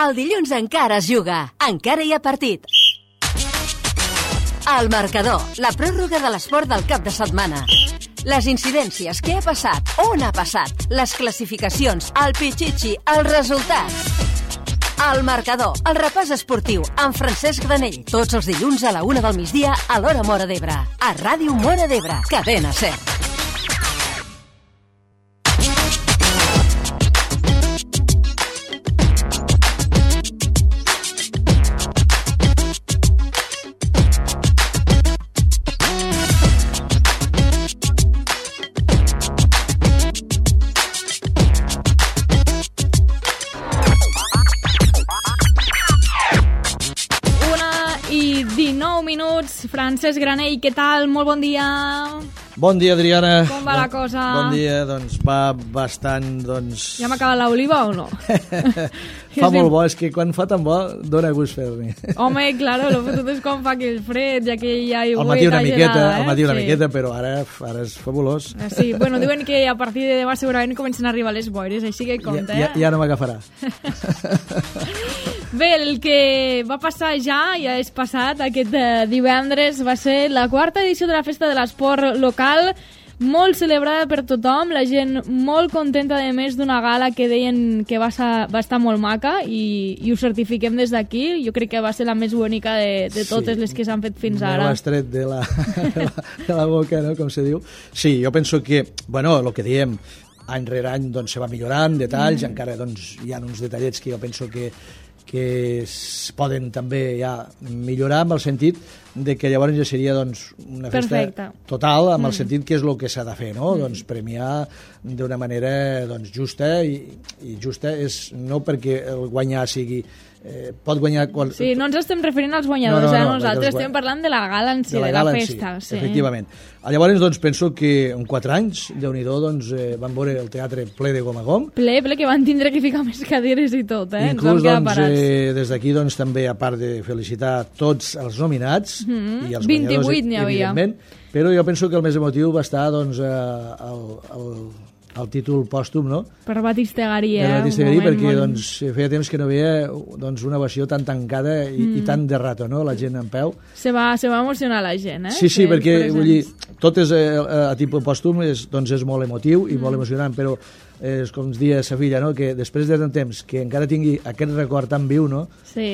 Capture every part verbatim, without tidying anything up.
El dilluns encara es juga, encara hi ha partit. El marcador, la pròrroga de l'esport del cap de setmana. Les incidències, què ha passat, on ha passat, les classificacions, el pitxitxi, els resultats. El marcador, el repàs esportiu, amb Francesc Granell. Tots els dilluns a la una del migdia a l'hora Móra d'Ebre. A Ràdio Móra d'Ebre, cadena SER. Minuts. Francesc Granell, què tal? Molt bon dia. Bon dia, Adriana. Com va la cosa? Bon dia, doncs va bastant, doncs... Ja m'ha acabat l'oliva o no? Fa molt bo, és que quan fa tan bo dona gust fer-ne. Home, claro, lo fotut és quan fa aquell fred, ja que hi ha aigüeta al matí una miqueta, gelada, eh? Al matí una sí. miqueta, però ara, ara és fabulós. Sí, bueno, diuen que a partir de demà segurament comencen a arribar les boires, així que compte, ja, ja, ja no m'agafarà. Bé, el que va passar ja, ja és passat, aquest eh, divendres, va ser la quarta edició de la Festa de l'Esport Local, molt celebrada per tothom, la gent molt contenta de més d'una gala que deien que va, sa, va estar molt maca i, i ho certifiquem des d'aquí. Jo crec que va ser la més bonica de, de totes sí, les que s'han fet fins ara. Me l'has tret de la, de, la, de la boca, no?, com se diu. Sí, jo penso que, bueno, el que diem, any rere any doncs, se va millorant, detalls, mm. encara doncs, hi ha uns detallets que jo penso que que es poden també ja millorar amb el sentit de que llavors ja seria doncs, una festa perfecte. Total, amb mm. el sentit que és el que s'ha de fer, no? Mm. Doncs premiar d'una manera doncs, justa, i, i justa és no perquè el guanyar sigui... Eh, pot guanyar... Qual... Sí, no ens estem referint als guanyadors, no, no, no, eh? Nosaltres guany... estem parlant de la gala en si, de la, de la festa. Sí, sí. Efectivament. Llavors, doncs, penso que en quatre anys, Déu-n'hi-do, doncs, eh, van veure el teatre ple de gom a gom. Ple, ple, que van tindre que ficar més cadires i tot, eh? Inclús, doncs, eh, des d'aquí, doncs, també, a part de felicitar tots els nominats, mm-hmm. i els vint-i-vuit guanyadors, n'hi havia. evidentment, però jo penso que el més emotiu va estar, doncs, eh, el, el, el títol pòstum, no? Per Batistegarí, eh? Per Batistegarí, perquè molt... doncs, feia temps que no veia doncs, una ovació tan tancada i, mm. i tan de rato, no?, la gent en peu. Se va, se va emocionar la gent, eh? Sí, sí, que perquè vull dir, tot és, eh, a tipus pòstum és, doncs, és molt emotiu i mm. molt emocionant, però és eh, com es dia sa filla, no?, que després de tant temps que encara tingui aquest record tan viu, no? Sí.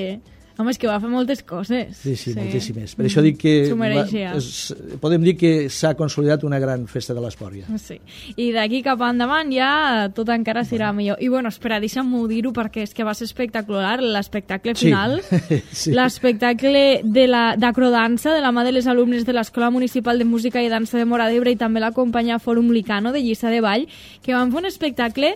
Home, és que va fer moltes coses. Sí, sí, sí. moltíssimes. Per mm. això dic que... S'ho mereixia. Va, és, podem dir que s'ha consolidat una gran festa de l'esport, ja. Sí. I d'aquí cap endavant ja tot encara serà bueno. millor. I bueno, espera, deixa'm-ho dir-ho perquè és que va ser espectacular l'espectacle final. Sí. sí. L'espectacle de d'acrodansa de la mà de les alumnes de l'Escola Municipal de Música i Dansa de Móra d'Ebre i també la companya Fòrum Licano de Lliçà de Vall, que van fer un espectacle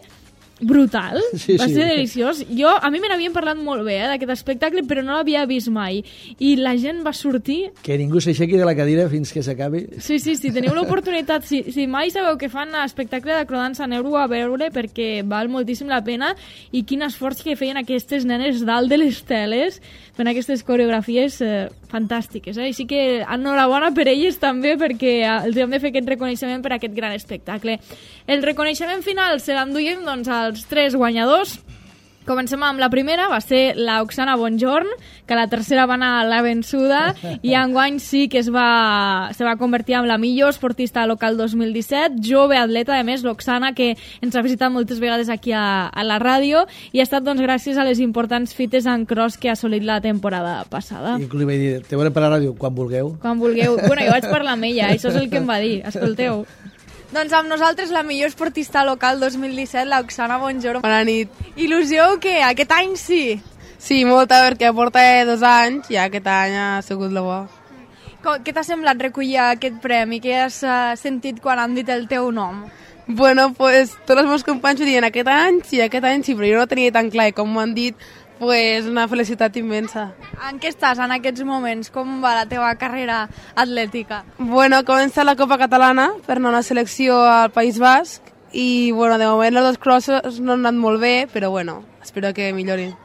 brutal, sí, va sí. ser deliciós. Jo, a mi me n'havien parlat molt bé, eh, d'aquest espectacle, però no l'havia vist mai. I la gent va sortir... Que ningú s'aixequi de la cadira fins que s'acabi. Sí, sí, si teniu l'oportunitat, si, si mai sabeu que fan espectacle d'acrodansa, aneu-ho a veure perquè val moltíssim la pena, i quin esforç que feien aquestes nenes dalt de les teles, fent aquestes coreografies eh, fantàstiques. Eh? Així que enhorabona per elles també, perquè els hem de fer aquest reconeixement per aquest gran espectacle. El reconeixement final se l'enduiem, doncs, als tres guanyadors. Comencem amb la primera, va ser la Oksana Bonjorn, que la tercera va anar a la vençuda, i enguany sí que es va, se va convertir en la millor esportista local dos mil disset, jove atleta, a més, l'Oksana, que ens ha visitat moltes vegades aquí a, a la ràdio, i ha estat doncs, gràcies a les importants fites en cross que ha assolit la temporada passada. I li vaig dir, te veurem per la ràdio quan vulgueu. Quan vulgueu. Bueno, jo vaig parlar amb ella, això és el que em va dir. Escolteu. Doncs amb nosaltres la millor esportista local dos mil disset, la Oksana Bonjorn. Bona nit. Il·lusió que aquest any sí? Sí, molta, perquè porta dos anys i aquest any ha sigut la bo. Com, què t'ha semblat recollir aquest premi? Què has uh, sentit quan han dit el teu nom? Bueno, pues tots els meus companys ho diuen aquest any sí, aquest any sí, però jo no ho tenia tan clar i com m'ho han dit, pues una felicitat immensa. En què estàs en aquests moments? Com va la teva carrera atlètica? Bueno, comença la Copa Catalana per anar a una selecció al País Basc i, bueno, de moment els dos crosses no han anat molt bé, però, bueno, espero que millorin.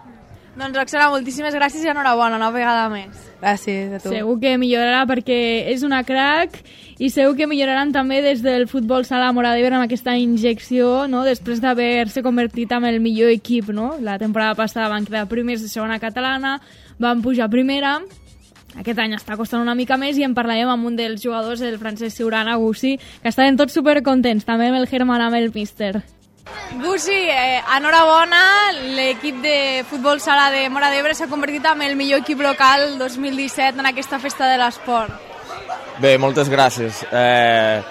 Doncs Roxana, moltíssimes gràcies i enhorabona una vegada més. Gràcies a tu. Segur que millorarà perquè és una crack i segur que milloraran també des del futbol sala Móra d'Ebre amb aquesta injecció, no? Després d'haver-se convertit en el millor equip, no? La temporada passada van quedar primers de segona catalana, van pujar a primera. Aquest any està costant una mica més i en parlarem amb un dels jugadors, el Francesc Ciurana, Gussi, que estaven tots supercontents, també amb el Germán, amb el míster. Gussi, eh, enhorabona, l'equip de futbol sala de Móra d'Ebre s'ha convertit en el millor equip local dos mil disset en aquesta festa de l'esport. Bé, moltes gràcies. Eh,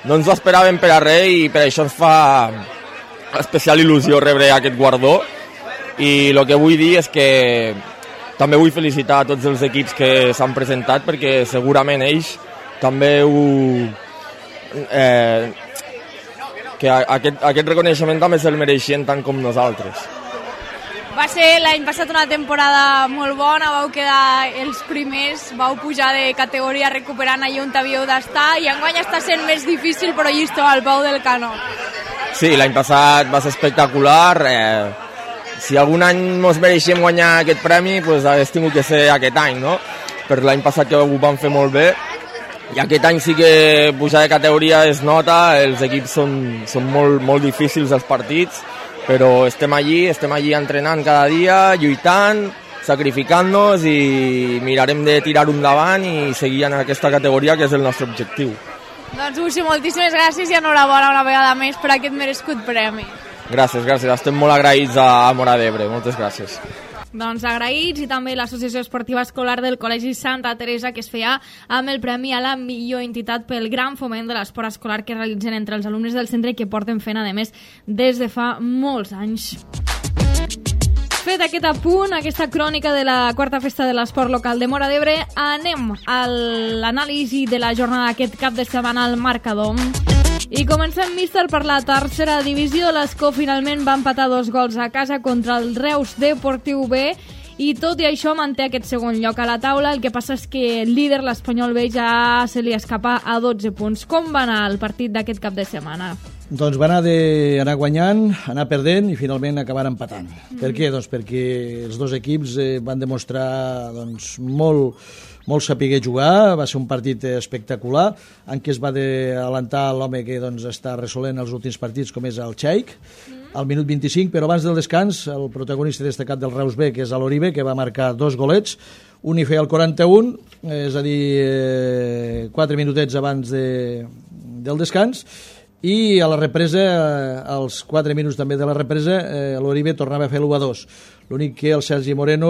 no ens ho esperàvem per a res i per això ens fa especial il·lusió rebre aquest guardó i el que vull dir és que també vull felicitar a tots els equips que s'han presentat perquè segurament ells també ho... Eh, que aquest, aquest reconeixement també se'l mereixien tant com nosaltres. Va ser l'any passat una temporada molt bona, vau quedar els primers, vau pujar de categoria recuperant allà on havíeu d'estar i enguany està sent més difícil però allí esteu al peu del canó. Sí, l'any passat va ser espectacular. Eh, si algun any ens mereixíem guanyar aquest premi, doncs hagués tingut que ser aquest any, no? Per l'any passat que ho vam fer molt bé. I aquest any sí que pujar de categoria es nota, els equips són, són molt, molt difícils els partits, però estem allí, estem allí entrenant cada dia, lluitant, sacrificant-nos i mirarem de tirar-ho endavant i seguir en aquesta categoria que és el nostre objectiu. Doncs Gussi, moltíssimes gràcies i enhorabona una vegada més per aquest merescut premi. Gràcies, gràcies, estem molt agraïts a Móra d'Ebre, moltes gràcies. Doncs agraïts i també l'Associació Esportiva Escolar del Col·legi Santa Teresa que es feia amb el premi a la millor entitat pel gran foment de l'esport escolar que realitzen entre els alumnes del centre i que porten fent, a més, des de fa molts anys. Fet aquest apunt, aquesta crònica de la quarta festa de l'esport local de Móra d'Ebre, anem a l'anàlisi de la jornada aquest cap de setmana al marcador. I comencem, míster, per la tercera divisió. L'Escó finalment va empatar dos gols a casa contra el Reus Deportiu B i tot i això manté aquest segon lloc a la taula. El que passa és que el líder, l'Espanyol B, ja se li escapa a dotze punts. Com va anar el partit d'aquest cap de setmana? Doncs va anar d'anar guanyant, anar perdent i finalment acabar empatant. Mm. Per què? Doncs perquè els dos equips eh, van demostrar doncs, molt, molt saber jugar, va ser un partit espectacular, en què es va adelantar l'home que doncs, està resolent els últims partits, com és el Xaic, mm. al minut vint-i-cinc, però abans del descans, el protagonista destacat del Reus B, que és l'Oribe, que va marcar dos golets, un hi feia el quaranta-un, és a dir, eh, quatre minutets abans de, del descans, i a la represa, als quatre minuts també de la represa, eh, l'Oribe tornava a fer l'u a dos. L'únic que el Sergi Moreno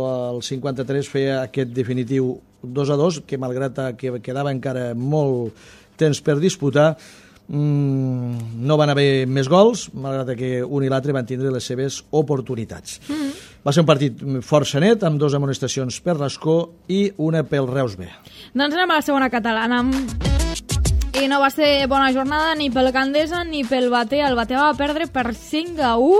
al cinquanta-tres feia aquest definitiu dos a dos, que malgrat que quedava encara molt temps per disputar, mmm, no van haver més gols, malgrat que un i l'altre van tindre les seves oportunitats. Mm-hmm. Va ser un partit força net, amb dues amonestacions per l'Escó i una pel Reus B. Doncs anem a la segona catalana. I no va ser bona jornada ni pel Gandesa ni pel Batea. El Batea va perdre per cinc a u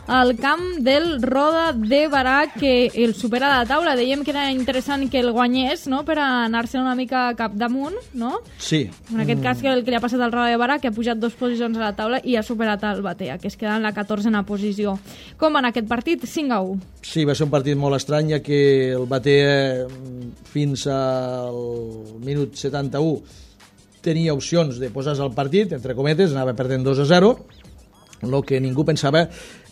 al camp del Roda de Barà, que el supera a la taula. Dèiem que era interessant que el guanyés, no?, per anar-se una mica cap damunt, no? Sí. En aquest cas, que el que li ha passat al Roda de Barà, que ha pujat dues posicions a la taula i ha superat el Batea, que es queda en la catorzena posició. Com va anar aquest partit? cinc a u. Sí, va ser un partit molt estrany, ja que el Batea fins al minut setanta-u tenia opcions de posar-se al partit, entre cometes, anava perdent dos a zero. El que ningú pensava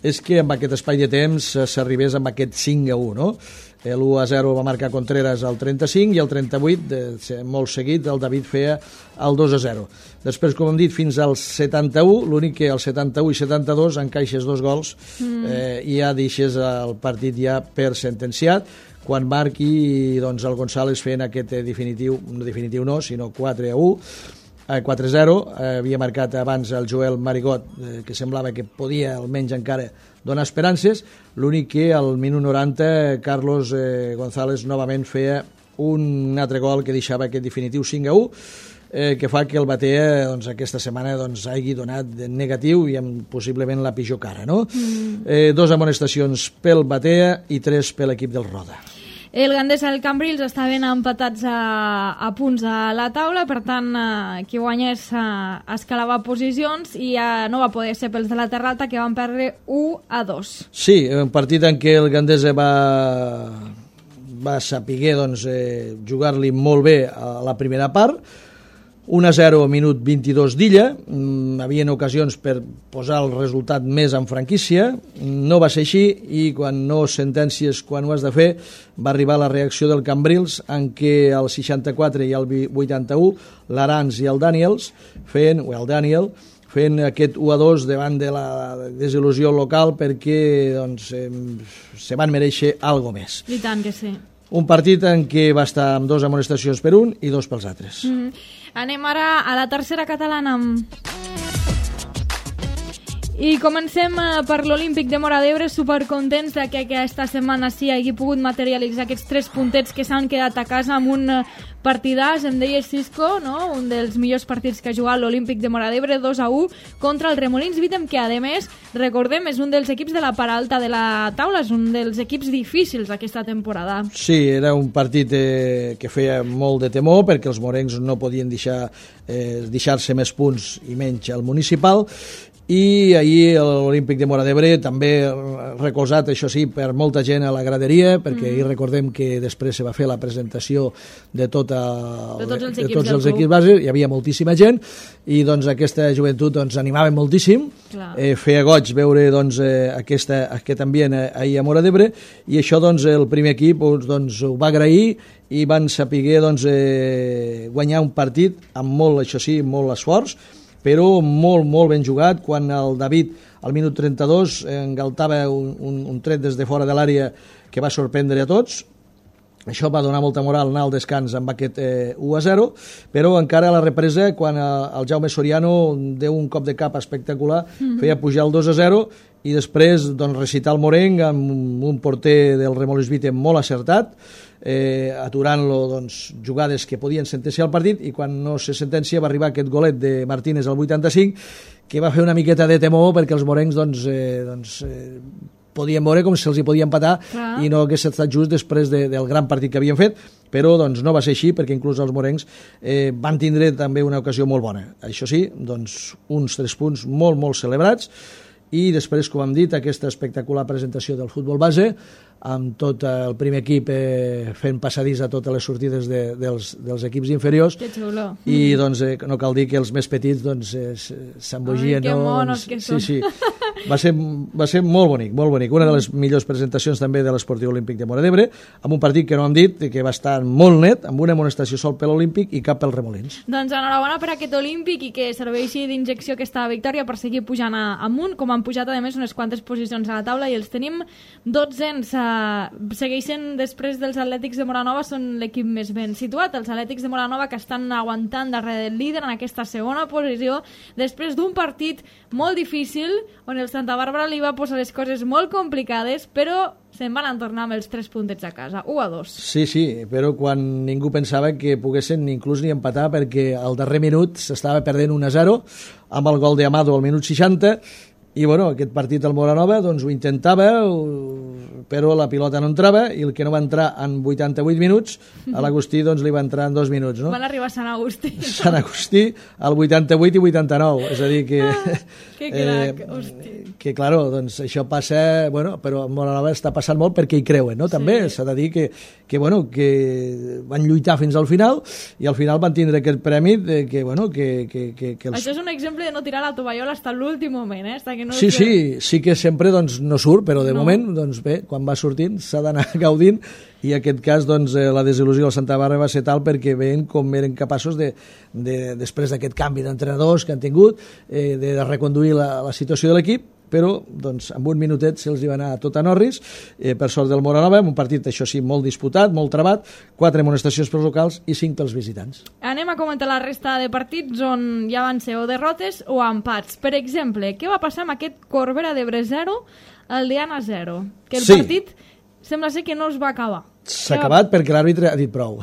és que amb aquest espai de temps s'arribés amb aquest cinc a u, no? L'u a zero va marcar Contreras al trenta-cinc i al trenta-vuit, molt seguit, el David feia el dos a zero. Després, com hem dit, fins al setanta-u, l'únic que al setanta-u i setanta-dos encaixes dos gols mm. eh, i ja deixes el partit ja per sentenciat, quan marqui doncs, el González fent aquest definitiu, no definitiu no, sinó quatre a u, quatre a zero, eh, havia marcat abans el Joel Marigot, eh, que semblava que podia almenys encara donar esperances, l'únic que al minut noranta Carlos eh, González novament feia un altre gol que deixava aquest definitiu cinc a u, eh, que fa que el Batea doncs, aquesta setmana doncs, hagi donat negatiu i amb possiblement la pitjor cara, no? Mm. Eh, dos amonestacions pel Batea i tres per l'equip del Roda. El Gandesa i el Cambrils estaven empatats a, a punts a la taula, per tant, eh, qui guanyés eh, escalava posicions i eh, no va poder ser pels de la Terra Alta, que van perdre u a dos. Sí, un partit en què el Gandesa va, va saber doncs, eh, jugar-li molt bé a la primera part, un a zero minut vint-i-dos d'Illa, mm, havien ocasions per posar el resultat més en franquícia, no va ser així i quan no sentències quan ho has de fer va arribar la reacció del Cambrils en què al seixanta-quatre i al vuitanta-u l'Arans i el Daniels feien, o el Daniel fent aquest u a dos davant de la desil·lusió local perquè doncs, eh, se van mereixer algo més. I tant que sí. Un partit en què va estar amb dos amonestacions per un i dos pels altres. Mm-hmm. Anem ara a la tercera catalana. I comencem per l'Olímpic de Móra d'Ebre, supercontents de que aquesta setmana sí hagi pogut materialitzar aquests tres puntets que s'han quedat a casa amb un partidàs, em deia Cisco, no? Un dels millors partits que ha jugat l'Olímpic de Móra d'Ebre, dos a u contra el Remolins Vítem, que a més, recordem, és un dels equips de la part alta de la taula, és un dels equips difícils aquesta temporada. Sí, era un partit eh, que feia molt de temor perquè els morencs no podien deixar eh, deixar-se més punts i menys al municipal, i ahir l'Olímpic de Móra d'Ebre també recolzat, això sí, per molta gent a la graderia, perquè mm. ahir recordem que després se va fer la presentació de, tota, de tots els de equips, tots els equips bases, hi havia moltíssima gent i doncs aquesta joventut doncs, animava moltíssim, eh, feia goig veure doncs, eh, aquesta, aquest ambient ahir a Móra d'Ebre, i això doncs, el primer equip doncs, ho va agrair i van saber doncs, eh, guanyar un partit amb molt, això sí, molt esforç, però molt, molt ben jugat, quan el David al minut trenta-dos engaltava un, un, un tret des de fora de l'àrea que va sorprendre a tots. Això va donar molta moral anar al descans amb aquest eh, u a zero, però encara a la represa, quan el Jaume Soriano deu un cop de cap espectacular, mm-hmm. feia pujar el dos a zero i després doncs, recitar el morenc amb un porter del Remolins Vítem molt acertat, eh, aturant-lo doncs, jugades que podien sentenciar el partit, i quan no se sentencia va arribar aquest golet de Martínez al vuitanta-cinc, que va fer una miqueta de temor perquè els morencs doncs, eh, doncs, eh, podien veure com se'ls hi podia empatar ah. i no hagués estat just després de, del gran partit que havien fet, però doncs, no va ser així perquè inclús els morencs eh, van tindre també una ocasió molt bona. Això sí, doncs, uns tres punts molt, molt celebrats, i després, com hem dit, aquesta espectacular presentació del futbol base, amb tot el primer equip eh, fent passadís a totes les sortides de, dels, dels equips inferiors. Que xulo. I doncs, eh, no cal dir que els més petits doncs, eh, s'embogien. Ai, que no? monos que són. Sí, sí. Va ser, va ser molt bonic, molt bonic. Una de les millors presentacions també de l'Esportiu Olímpic de Móra d'Ebre, amb un partit que no hem dit, que va estar molt net, amb una amonestació sol per l'Olímpic i cap pel Remolins. Doncs enhorabona per aquest Olímpic i que serveixi d'injecció aquesta victòria per seguir pujant a, amunt, com han pujat a més unes quantes posicions a la taula i els tenim dotzens. Uh, segueixen després dels Atlètics de Moranova, són l'equip més ben situat, els Atlètics de Moranova, que estan aguantant darrere del líder en aquesta segona posició després d'un partit molt difícil on el Santa Bàrbara li va posar les coses molt complicades, però se'n van tornar amb els tres puntets a casa, u a dos. Sí, sí, però quan ningú pensava que poguessin inclús ni empatar, perquè al darrer minut s'estava perdent un a zero amb el gol d'Amado al minut seixanta, i bueno, aquest partit al Moranova doncs, ho intentava, però la pilota no entrava, i el que no va entrar en vuitanta-vuit minuts, a l'Agustí doncs, li va entrar en dos minuts. No? Van arribar a Sant Agustí. Sant Agustí al vuitanta-vuit i vuitanta-nou, és a dir que... Ah, que crac, eh, hosti. Que, claro, doncs això passa... Bueno, però a Moranova està passant molt perquè hi creuen, no? També s'ha de dir que, que, bueno, que van lluitar fins al final i al final van tindre aquest premi de que, bueno, que... que, que, que els... Això és un exemple de no tirar la tovallola fins a l'últim moment, eh? Hasta que no sí, sí, sí que sempre doncs, no surt, però de no. moment, doncs bé, quan va sortint s'ha d'anar gaudint, i en aquest cas doncs, la desil·lusió del Santa Bàrbara va ser tal perquè veien com eren capaços de, de després d'aquest canvi d'entrenadors que han tingut, eh, de reconduir la, la situació de l'equip, però doncs, amb un minutet se'ls hi va anar tot a Norris, eh, per sort del Moranova, un partit, això sí, molt disputat, molt trabat, quatre amonestacions pels locals i cinc pels visitants. Anem a comentar la resta de partits on ja van ser o derrotes o empats. Per exemple, què va passar amb aquest Corbera d'Ebre zero, el Diana zero? Que el sí. partit sembla ser que no es va acabar. S'ha acabat perquè l'àrbitre ha dit prou.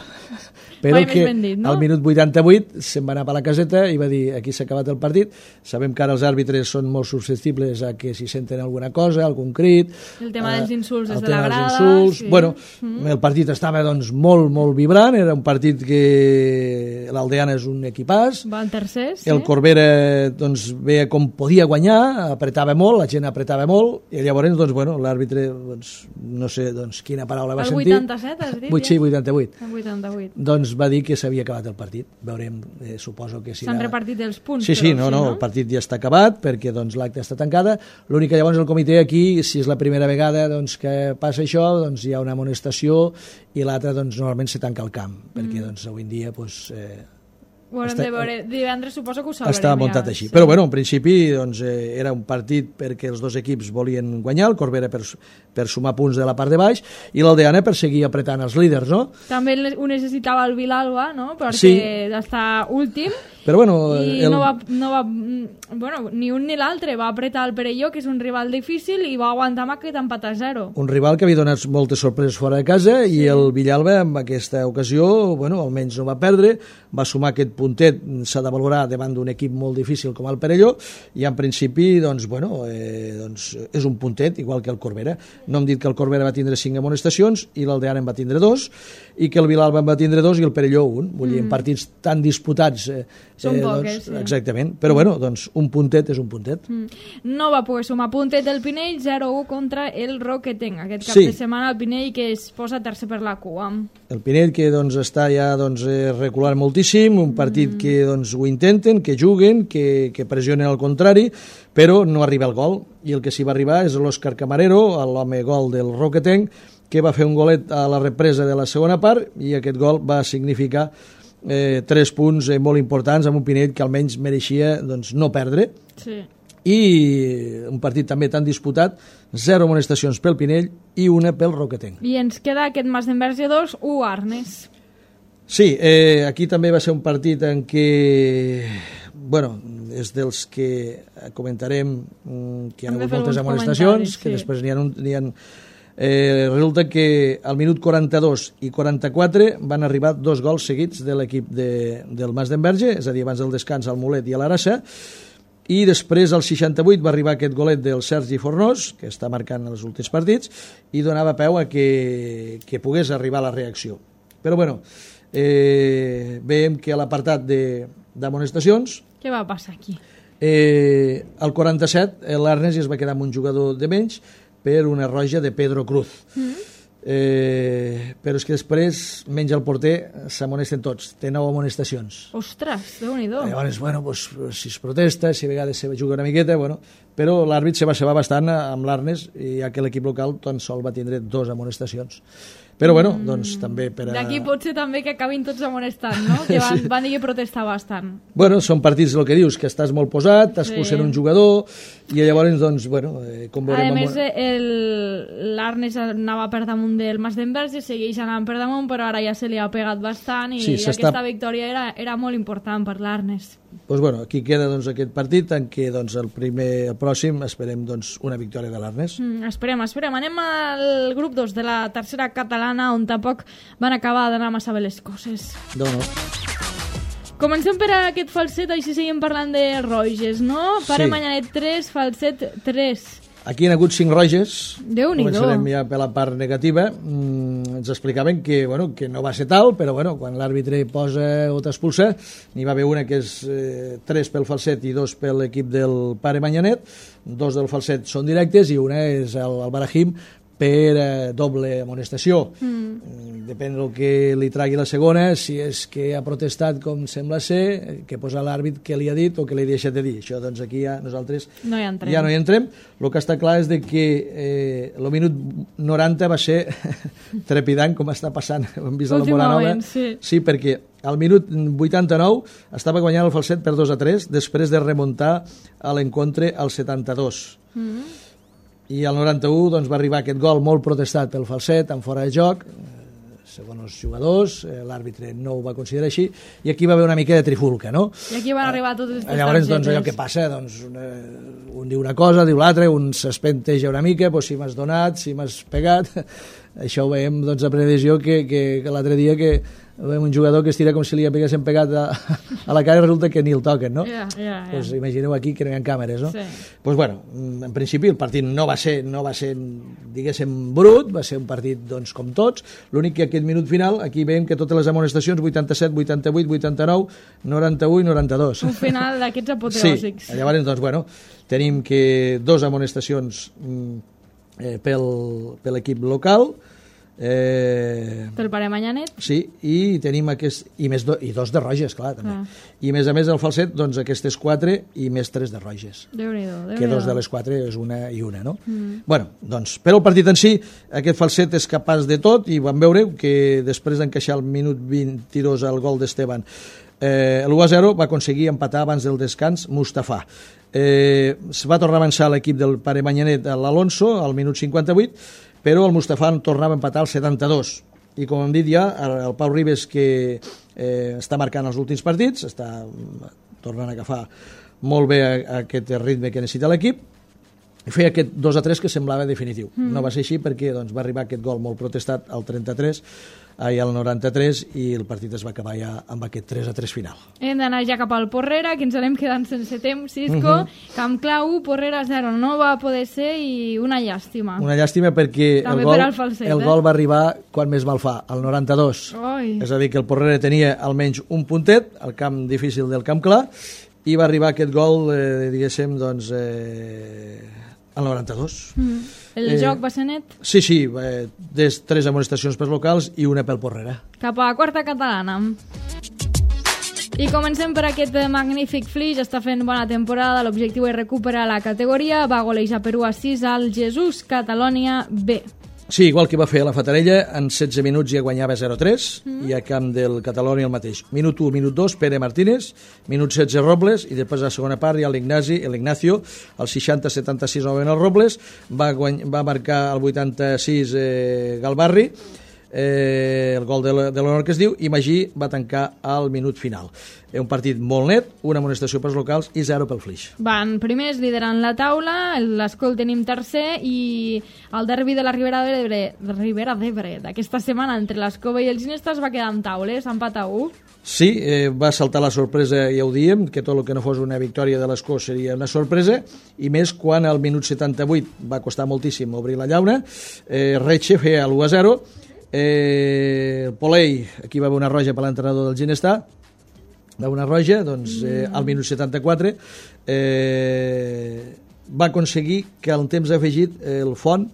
però Mai que més ben dit, no? al minut vuitanta-vuit se'n va anar per la caseta i va dir aquí s'ha acabat el partit. Sabem que ara els àrbitres són molt susceptibles a que si senten alguna cosa, algun crit... El tema dels insults des el de la tema dels grada... insults. Sí. Bueno, Mm. el partit estava doncs, molt, molt vibrant, era un partit que l'Aldeana és un equipàs, Va en tercer, sí. el Corbera doncs, veia com podia guanyar, apretava molt, la gent apretava molt, i llavors doncs, bueno, l'àrbitre, doncs, no sé doncs, quina paraula va El sentir. vuitanta-set, has dit? Vuit, sí, vuitanta-vuit. El vuitanta-vuit. Doncs va dir que s'havia acabat el partit. Veurem, eh, suposo que si... S'han la- repartit els punts. Sí, sí, però, no, no, el partit ja està acabat perquè doncs, l'acte està tancada. L'únic que llavors el comitè aquí, si és la primera vegada doncs, que passa això, doncs, hi ha una amonestació i l'altra doncs, normalment se tanca el camp, perquè doncs, avui en dia doncs, eh, Ho haurem Està- de veure. Divendres suposo que ho sabrem. està muntat ja. així. Sí. Però bueno, en principi doncs, eh, era un partit perquè els dos equips volien guanyar, el Corbera per, per sumar punts de la part de baix i l'Aldeana per seguir apretant els líders, no? També ho necessitava el Vilalba, no? Perquè Sí. està últim Però bueno, i el, no va, no va, mm, bueno, ni un ni l'altre va apretar el Perelló, que és un rival difícil, i va aguantar amb aquest empat a zero. un rival que havia donat moltes sorpreses fora de casa i el Villalba en aquesta ocasió, bueno, almenys no va perdre, va sumar aquest puntet, s'ha de valorar davant d'un equip molt difícil com el Perelló, i en principi doncs, bueno, eh, doncs, és un puntet igual que el Corbera. No hem dit que el Corbera va tindre cinc amonestacions i l'Aldeana en va tindre dos, i que el Vilalba en va tindre dos i el Perelló un. Vull dir, en partits tan disputats eh, Són eh, poques, doncs, sí. exactament, però bueno, doncs un puntet és un puntet. Mm. No va poder sumar puntet del Pinell, zero a u contra el Roquetenc. Aquest cap Sí. de setmana el Pinell que es posa tercer per la cua. El Pinell que doncs, està ja doncs, eh, reculant moltíssim, un partit mm. que doncs, ho intenten, que juguen, que, que pressionen al contrari, però no arriba el gol, i el que s'hi va arribar és l'Òscar Camarero, l'home gol del Roquetenc, que va fer un golet a la represa de la segona part, i aquest gol va significar eh, tres punts eh, molt importants amb un Pinell que almenys mereixia doncs, no perdre, Sí. i un partit també tan disputat, zero amonestacions pel Pinell i una pel Roquetenc. I ens queda aquest Masdenverge dos, u Arnes. Sí, eh, aquí també va ser un partit en què, bueno, és dels que comentarem mm, que hi ha Hem de hagut fer moltes alguns amonestacions, comentaris, que sí. després n'hi ha... Un, n'hi ha eh, resulta que al minut quaranta-dos i quaranta-quatre van arribar dos gols seguits de l'equip de, del Masdenverge, és a dir, abans del descans al Mulet i a l'Arassa, i després al seixanta-vuit va arribar aquest golet del Sergi Fornós, que està marcant els últims partits, i donava peu a que, que pogués arribar a la reacció. Però bueno, eh, veiem que a l'apartat d'amonestacions, Què va passar aquí? eh, al quaranta-set l'Arnes es va quedar amb un jugador de menys per una roja de Pedro Cruz. Mm. Eh, però és que després menys el porter s'amonesten tots, té nou amonestacions. Ostres, déu-n'hi-do. Llavors, bueno, pues, si es protesta, si a vegades se juga una miqueta, bueno, però l'àrbit se va cebar bastant amb l'Arnes, i ja que l'equip local tan sol va tindre dos amonestacions. Però bueno, doncs també per a... D'aquí pot ser també que acabin tots amonestant, no? Que van, Sí. van dir que protestar bastant. Bueno, són partits, el que dius, que estàs molt posat, t'expulsen Sí. un jugador, i llavors, doncs, bueno, eh, com A veurem... més, amb- el- l'Arnes anava per damunt del Masdenverge, segueix anant per damunt, però ara ja se li ha pegat bastant i Sí, sí, s'està- aquesta victòria era, era molt important per l'Arnes. Doncs, bueno, aquí queda doncs, aquest partit en què doncs, el primer, el pròxim esperem doncs, una victòria de l'Arnes. Mm, esperem, esperem. Anem al grup dos de la tercera catalana, on tampoc van acabar d'anar massa bé les coses. No, no. Comencem per aquest falset, així seguim parlant de Roges, no? Pare Sí. Manyanet tres, falset tres. Aquí hi ha hagut cinc roges. Déu-n'hi-do. Començarem ja per la part negativa. Mm, ens explicaven que, bueno, que no va ser tal, però bueno, quan l'àrbitre posa o t'expulsa, n'hi va haver una que és eh, tres pel falset i dos per l'equip del Pare Manyanet. Dos del falset són directes i una és el, el Barahim per eh, doble amonestació. Mm. Depèn del que li tragui la segona, si és que ha protestat com sembla ser, que posa l'àrbit que li ha dit o que li ha deixat de dir. Això, doncs, aquí ja nosaltres No hi entrem. ja no hi entrem. El que està clar és de que eh, el minut noranta va ser trepidant, com està passant. Hem vist a la Moranova. Últimament, sí. Sí, perquè al minut vuitanta-nou estava guanyant el falset per dos a tres després de remuntar a l'encontre al setanta-dos. Mm. I al noranta-u doncs, va arribar aquest gol molt protestat pel falset, en fora de joc, eh, segons els jugadors, eh, l'àrbitre no ho va considerar així, i aquí va haver una mica de trifulca, no? I aquí van arribar totes aquestes Llavors, targetes. doncs, allò que passa, doncs, una, un diu una cosa, diu l'altre, un s'espenteja una mica, doncs, si m'has donat, si m'has pegat, això ho veiem, doncs, a previsió que, que, que l'altre dia que veiem un jugador que es tira com si li haguessin pegat a, a la cara i resulta que ni el toquen, no? Yeah, yeah, yeah. Pues imagineu aquí que no hi ha càmeres, no? Sí. Pues bueno, en principi el partit no va ser, no va ser diguéssim, brut, va ser un partit doncs, com tots, l'únic que aquest minut final, aquí veiem que totes les amonestacions, vuitanta-set, vuitanta-vuit, vuitanta-nou, noranta-u i noranta-dos. Un final d'aquests apoteòsics. Sí, llavors, doncs, bueno, tenim que dos amonestacions eh, pel, per l'equip local, Eh, Te'l pare Manyanet? sí, i tenim aquest i, més do, i dos de roges, clar, també. Ah. I més a més el falset, doncs aquestes quatre i més tres de roges. Déu-n'hi-do, Déu-n'hi-do. Que dos de les quatre és una i una, no? Mm. Bueno, doncs, però el partit en si, aquest falset és capaç de tot i vam veure que després d'encaixar el minut vint-i-dos al gol d'Esteban, eh, l'u a zero va aconseguir empatar abans del descans Mustafa. Eh, es va tornar a avançar l'equip del pare Manyanet a l'Alonso al minut cinquanta-vuit, però el Mustafa tornava a empatar al setanta-dos. I com hem dit ja, el Pau Ribes, que eh, està marcant els últims partits, està tornant a agafar molt bé aquest ritme que necessita l'equip, i feia aquest dos a tres que semblava definitiu. Mm. No va ser així perquè doncs, va arribar aquest gol molt protestat al trenta-tres, i al noranta-tres, i el partit es va acabar ja amb aquest tres a tres final. Hem d'anar ja cap al Porrera, que ens anem quedant sense temps, Cisco. Uh -huh. Camp Clau, Porrera zero, no va poder ser i una llàstima. Una llàstima perquè també el gol, per falset, el eh? gol va arribar quan més mal fa, al noranta-dos. Oi. És a dir, que el Porrera tenia almenys un puntet, al camp difícil del Camp Clar, i va arribar aquest gol, eh, diguéssim, doncs, eh, al noranta-dos. Mm. El Eh, joc va ser net? Sí, sí, eh, des tres amonestacions pels locals i una pel Porrera. Cap a quarta catalana. I comencem per aquest magnífic Flix, està fent bona temporada, l'objectiu és recuperar la categoria, va golejar Perú a sis al Jesús Catalònia B. Sí, igual que va fer a la Fatarella, en setze minuts ja guanyava zero a tres, mm. i a camp del Catalònia el mateix. Minut u, minut dos, Pere Martínez, minut setze, Robles, i després a la segona part ja l'Ignasi, l'Ignacio, al seixanta setanta-sis novament el Robles, va, guany, va marcar el vuitanta-sis eh, Galbarri, eh, el gol de l'honor que es diu, i Magí va tancar al minut final. Un partit molt net, una amonestació pels locals i zero pel Flix. Van primers liderant la taula, l'Escol tenim tercer, i el derbi de la Ribera d'Ebre Ribera d'Ebre d'aquesta setmana entre l'Escova i el Ginesta es va quedar amb taules, empat a u. Sí, eh, va saltar la sorpresa, ja ho diem, que tot el que no fos una victòria de l'Escó seria una sorpresa, i més quan al minut setanta-vuit va costar moltíssim obrir la llauna, eh, Retxe feia l'u a zero, eh, Polei, aquí va haver una roja per l'entrenador del Ginestà, d'una roja, doncs eh, al minut setanta-quatre eh, va aconseguir que al temps afegit eh, el Font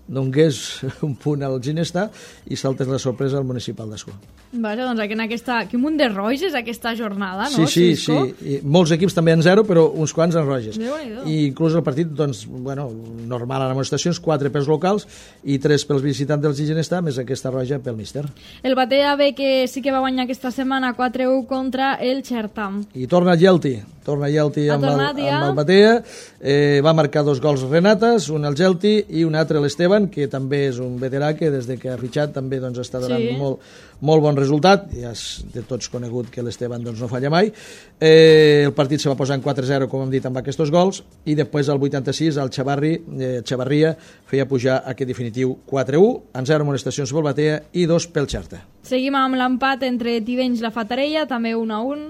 donés un punt al Ginestà i saltés la sorpresa al municipal d'Escó. Vaja, doncs aquí en aquesta... Quin munt de roges aquesta jornada, no? Sí, sí, Cisco? sí. I molts equips també en zero, però uns quants en roges. Déu-n'hi-do. I inclús el partit, doncs, bueno, normal en amonestacions, quatre pels locals i tres pels visitants del Ginestà, més aquesta roja pel míster. El Batea B, que sí que va guanyar aquesta setmana quatre a u contra el Xertam. I torna Gelti, torna Gelti Ha amb, el, tornat ja. amb el Batea, eh, va marcar dos gols Renates, un al Gelti i un altre l'Esteban, que també és un veterà que des de que ha fitxat també doncs, està donant Sí. molt, molt bon resultat, ja és de tots conegut que l'Esteban doncs, no falla mai. Eh, el partit se va posar en quatre a zero, com hem dit, amb aquests gols, i després al vuitanta-sis el Xavarri, eh, Xavarria feia pujar aquest definitiu quatre a u, en zero amonestacions pel Batea i dos pel Xerta. Seguim amb l'empat entre Tivenys i la Fatarella, també un a un.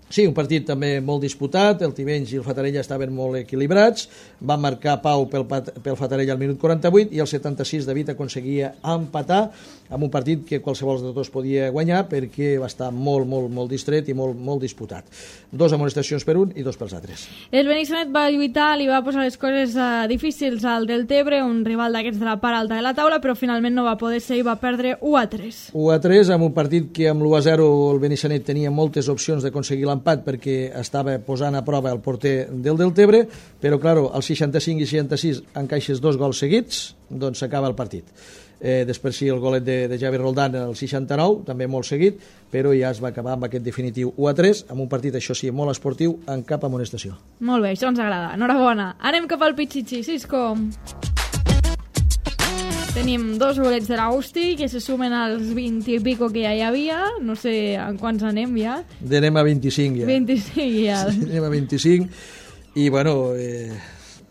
Sí, un partit també molt disputat, el Tivenys i el Fatarella estaven molt equilibrats, va marcar Pau pel, pel Fatarella al minut quaranta-vuit i al setanta-sis David aconseguia empatar amb un partit que qualsevol de tots podia guanyar perquè va estar molt, molt, molt distret i molt, molt disputat. Dos amonestacions per un i dos pels altres. El Benissanet va lluitar, li va posar les coses uh, difícils al Deltebre, un rival d'aquests de la part alta de la taula, però finalment no va poder ser i va perdre u a tres. u a tres, amb un partit que amb l'u a zero el Benissanet tenia moltes opcions d'aconseguir l'empat perquè estava posant a prova el porter del Deltebre, però, claro, al seixanta-cinc i seixanta-sis encaixes dos gols seguits, doncs s'acaba el partit. Eh, després sí, el golet de, de Javi Roldán al seixanta-nou, també molt seguit, però ja es va acabar amb aquest definitiu u a tres, amb un partit, això sí, molt esportiu, en cap amonestació. Molt bé, això ens agrada. Enhorabona. Anem cap al Pichichi, Cisco. Tenim dos bolets de l'Austi que se sumen als vint i pico que ja hi havia. No sé en quants anem ja. Anem a vint-i-cinc ja. vint-i-cinc ja. Sí, anem a vint-i-cinc i, bueno, eh,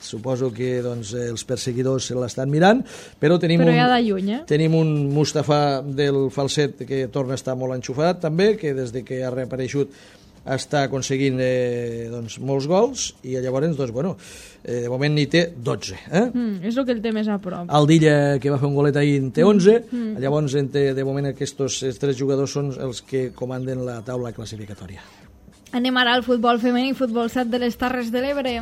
suposo que doncs, els perseguidors se l'estan mirant, però tenim, però un, ja de lluny, eh? tenim un Mustafa del Falset que torna a estar molt enxufat també, que des de que ha reapareixut està aconseguint eh, doncs, molts gols, i llavors, doncs, bueno, eh, de moment n'hi té dotze. Eh? Mm, és el que el té més a prop. El Dilla, que va fer un golet ahir, en té onze, Mm, mm. llavors en té, de moment aquests tres jugadors són els que comanden la taula classificatòria. Anem ara al futbol femení, futbol set de les Terres de l'Ebre.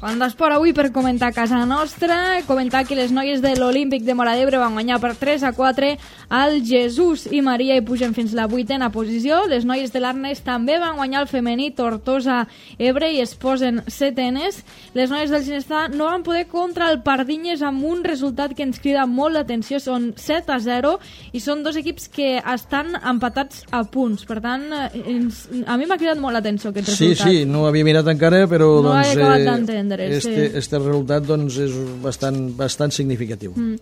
Quan d'esport avui per comentar a casa nostra, comentar que les noies de l'Olímpic de Móra d'Ebre van guanyar per tres a quatre al Jesús i Maria i pugen fins la vuitena posició. Les noies de l'Arnes també van guanyar el femení Tortosa Ebre i es posen setenes. Les noies del Ginestar no van poder contra el Pardinyes amb un resultat que ens crida molt l'atenció, són set a zero i són dos equips que estan empatats a punts. Per tant, ens, a mi m'ha cridat molt l'atenció aquest Sí, resultat. sí, no ho havia mirat encara, però No doncs, he acabat eh, d'entendre. este, Sí. este resultat doncs, és bastant, bastant significatiu. Mm.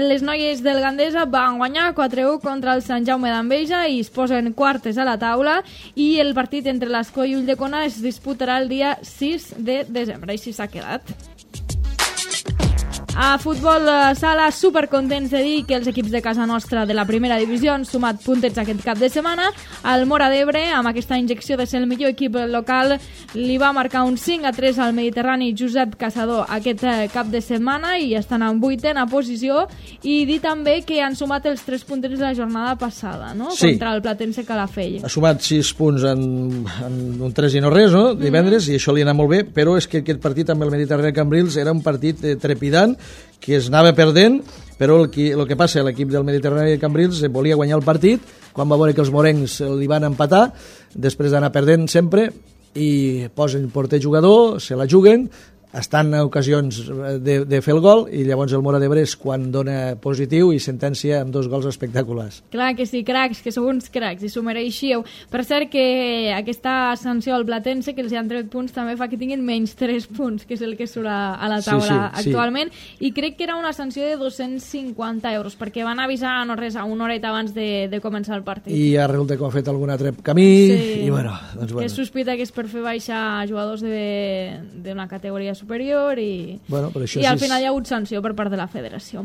Les noies del Gandesa van guanyar quatre a u contra el Sant Jaume d'Enveja i es posen quartes a la taula, i el partit entre l'Escó i Ulldecona es disputarà el dia sis de desembre. Així s'ha quedat. A futbol sala, supercontents de dir que els equips de casa nostra de la primera divisió han sumat puntets aquest cap de setmana. El Móra d'Ebre, amb aquesta injecció de ser el millor equip local, li va marcar un cinc a tres al Mediterrani Josep Caçador aquest cap de setmana i estan en vuitena posició. I dir també que han sumat els tres puntets de la jornada passada, no? Sí. Contra el Platense Calafell. Ha sumat sis punts en, en un tres i no res, no? divendres, mm. i això li ha anat molt bé, però és que aquest partit amb el Mediterrani Cambrils era un partit eh, trepidant, que es anava perdent, però el que, el que passa, l'equip del Mediterrani de Cambrils volia guanyar el partit, quan va veure que els morencs li van empatar, després d'anar perdent sempre, i posen porter jugador, se la juguen, estan en ocasions de, de fer el gol, i llavors el Móra d'Ebre és quan dona positiu i sentència amb dos gols espectaculars. Clar que sí, cracs, que sou uns cracs i s'ho mereixíeu. Per cert que aquesta sanció al Platense, que els han tret punts, també fa que tinguin menys tres punts, que és el que surt a la taula sí, sí, actualment, sí. I crec que era una sanció de dos-cents cinquanta euros, perquè van avisar no res a una horeta abans de, de començar el partit. I ara resulta que ho ha fet algun altre camí, sí. i bueno, doncs bueno. Que es sospita que és per fer baixar jugadors d'una categoria superior i, bueno, això i al és... final hi ha hagut sanció per part de la federació.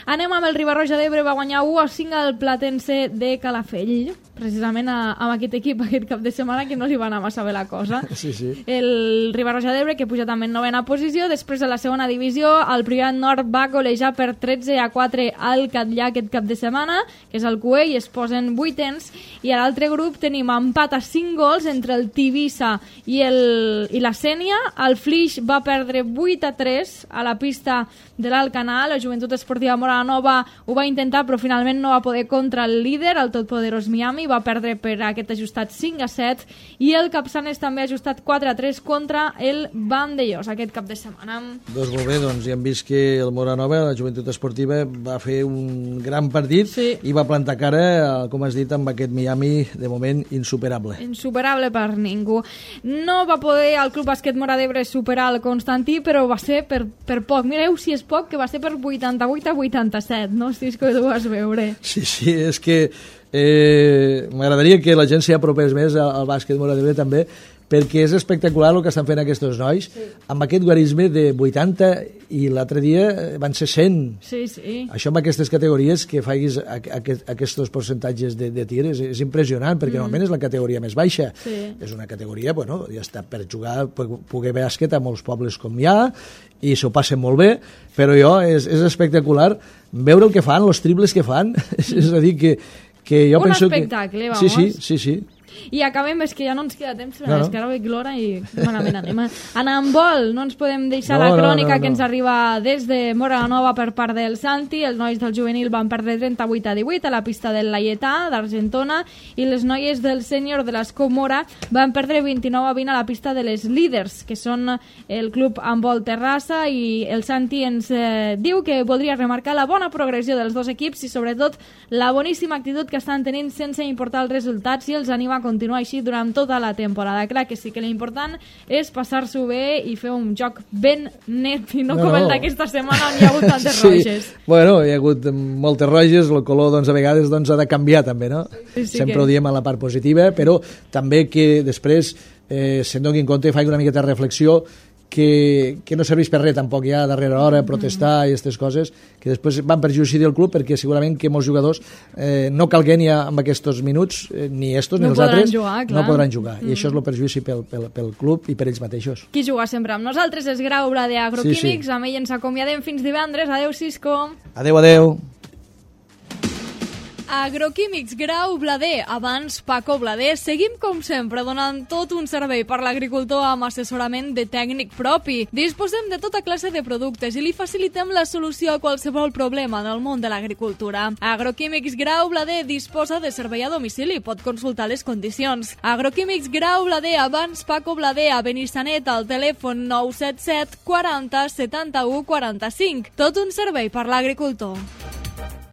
Anem amb el Riba-roja d'Ebre, va guanyar u a cinc al Platense de Calafell, precisament a, amb aquest equip aquest cap de setmana que no li va anar massa bé la cosa. Sí, sí. El Riba-roja d'Ebre, que puja també en novena posició, després de la segona divisió, el Privat Nord va golejar per tretze a quatre al Catllà aquest cap de setmana, que és el Cué, i es posen vuitens, i a l'altre grup tenim empat a cinc gols entre el Tivissa i, el, i la Sènia. El Flix va perdre vuit a tres a la pista de l'Alcanar. La Joventut Esportiva Móra la Nova ho va intentar, però finalment no va poder contra el líder, el totpoderós Miami, va perdre per aquest ajustat cinc a set, i el Capçanes també ha ajustat quatre a tres contra el Vandellós aquest cap de setmana. Doncs molt bé, doncs ja hem vist que el Móra Nova, la Joventut Esportiva, va fer un gran partit, sí. i va plantar cara, com has dit, amb aquest Miami, de moment insuperable. Insuperable per ningú. No va poder el Club Bàsquet Móra d'Ebre superar el Constantí, però va ser per, per poc. Mireu si és poc, que va ser per vuitanta-vuit a vuitanta-set, no? Si és que ho vas veure. Sí, sí, és que eh, m'agradaria que la gent s'hi apropés més al, al bàsquet Móra d'Ebre també, perquè és espectacular el que estan fent aquests nois, sí. amb aquest guarisme de vuitanta, i l'altre dia van ser cent. Sí, sí. Això amb aquestes categories, que facis aquest, aquests percentatges de, de tir, és, és impressionant, perquè mm. normalment és la categoria més baixa. Sí. És una categoria, bueno, ja està per jugar, per poder bàsquet a molts pobles com hi ha, i s'ho passen molt bé, però jo, és, és espectacular veure el que fan, els triples que fan, és a dir, que, que jo un penso que... Un espectacle, vamos. Sí, sí, sí, sí. I acabem, és que ja no ens queda temps, però no, no. és que ara veig l'hora i malament anem. En handbol no ens podem deixar no, la crònica no, no, no. que ens arriba des de Móra la Nova per part del Santi. Els nois del juvenil van perdre trenta-vuit a divuit a la pista del Laietà d'Argentona, i les noies del sènior de l'Escó Móra van perdre vint-i-nou a vint a la pista de les líders, que són el club Handbol Terrassa, i el Santi ens eh, diu que voldria remarcar la bona progressió dels dos equips i sobretot la boníssima actitud que estan tenint sense importar els resultats, i els anima a continuar així durant tota la temporada. Clar que sí que l'important és passar-s'ho bé i fer un joc ben net, i no, no com el d'aquesta setmana on hi ha hagut tantes sí. roges. Bueno, hi ha hagut moltes roges, el color doncs, a vegades doncs, ha de canviar també, no? Sí, sí Sempre que... ho diem a la part positiva, però també que després eh, se'n donin compte, faig una miqueta de reflexió, que, que no serveix per res tampoc ja a darrera hora protestar i aquestes coses que després van perjudici del club, perquè segurament que molts jugadors eh, no calguen ja amb aquests minuts, eh, ni estos ni No els podran altres, jugar, clar. no podran jugar, i això és el perjudici pel, pel, pel club i per ells mateixos. Qui juga sempre amb nosaltres és Grau Blader Agroquímics, Sí, sí. amb ell ens acomiadem fins divendres. Adeu, Cisco. Adeu, adeu. Agroquímics Grau Blader, abans Paco Blader. Seguim com sempre donant tot un servei per l'agricultor amb assessorament de tècnic propi. Disposem de tota classe de productes i li facilitem la solució a qualsevol problema del món de l'agricultura. Agroquímics Grau Blader disposa de servei a domicili, pot consultar les condicions. Agroquímics Grau Blader, abans Paco Blader, a Benissanet, al telèfon nou set set quaranta setanta-u quaranta-cinc. Tot un servei per l'agricultor.